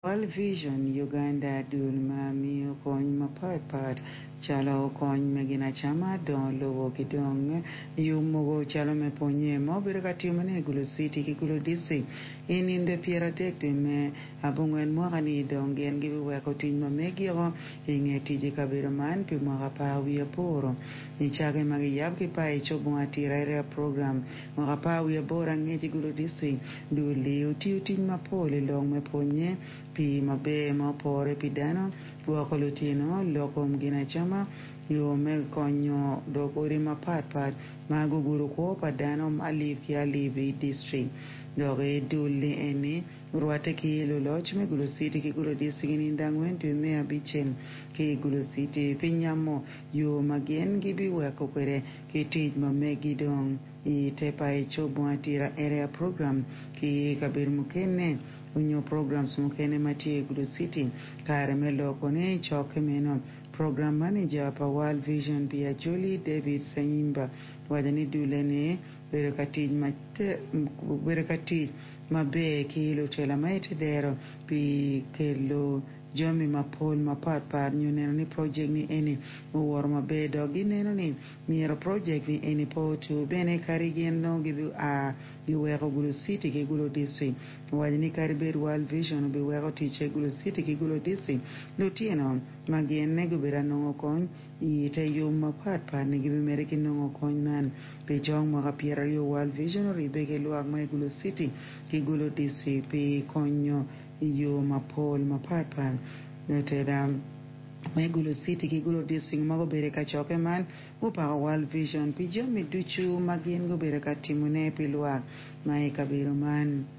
World Vision Uganda dul ma miyo kony mapat pat calo kony me ginacama, dongo lobo ki dong yub mogo calo me pwonye ma obedo ka timone i Gulu City ki Gulu District i nindo 30 dwe me abongwen mwaka-ni dong gin gibiweko tic ma megiko i nge tic i kabedo man pi mwaka 18 nicake ma giyabo ki paci Obongo Atira Area Program mwaka 18 angec i Gulu District. Dul-li otiyo tic mapol i lok me pwonye, pii maber ma opore pi dano, gwoko lutino, lok kom ginacama, yo me konyo dog odi mapatpat ma gugudo kwo pa dano alip ki alip i distrik. Dok i dul-li eni orwatte ki luloc me Gulu City ki Gulu District i nindo angwen dwe me abicel ki i Gulu City pi nyamo yo ma gin gibiweko kwede ki tic ma megi dong i te paco Bunga Atira Area Program ki kabedo mukene onyo programs mukene ma tye i Gulu City. Kare me loko ne i cokke meno, Program Manager pa World Vision pi Acholi David Ssenyimba owaco ni dulle ni bedo ka tic bedo ka tic maber ki lutela ma ite dero pi kelo jami mapol mapatpat nyo neno ni project ni eni owoto maber dok gineno ni myero project ni eni pe otur bene kadi gin nongo gibi a giweko Gulu City ki Gulu District. Owaco ni kadi bed World Vision obiweko ticce Gulu City ki Gulu District, lutino ma gin gubedo anongo kony i te yub mapatpat ni gibimedde ki nongo kony man. Pi cok mwaka 20 World Vision oribbe ki lwak ma i Gulu City ki Gulu District pi konyo i yo mapol mapatpat. Lutela me Gulu City ki Gulu District ma gubedo i kacokke man gupako World Vision pi jami ducu ma gin gubedo ka timone pi lwak ma i kabedo man.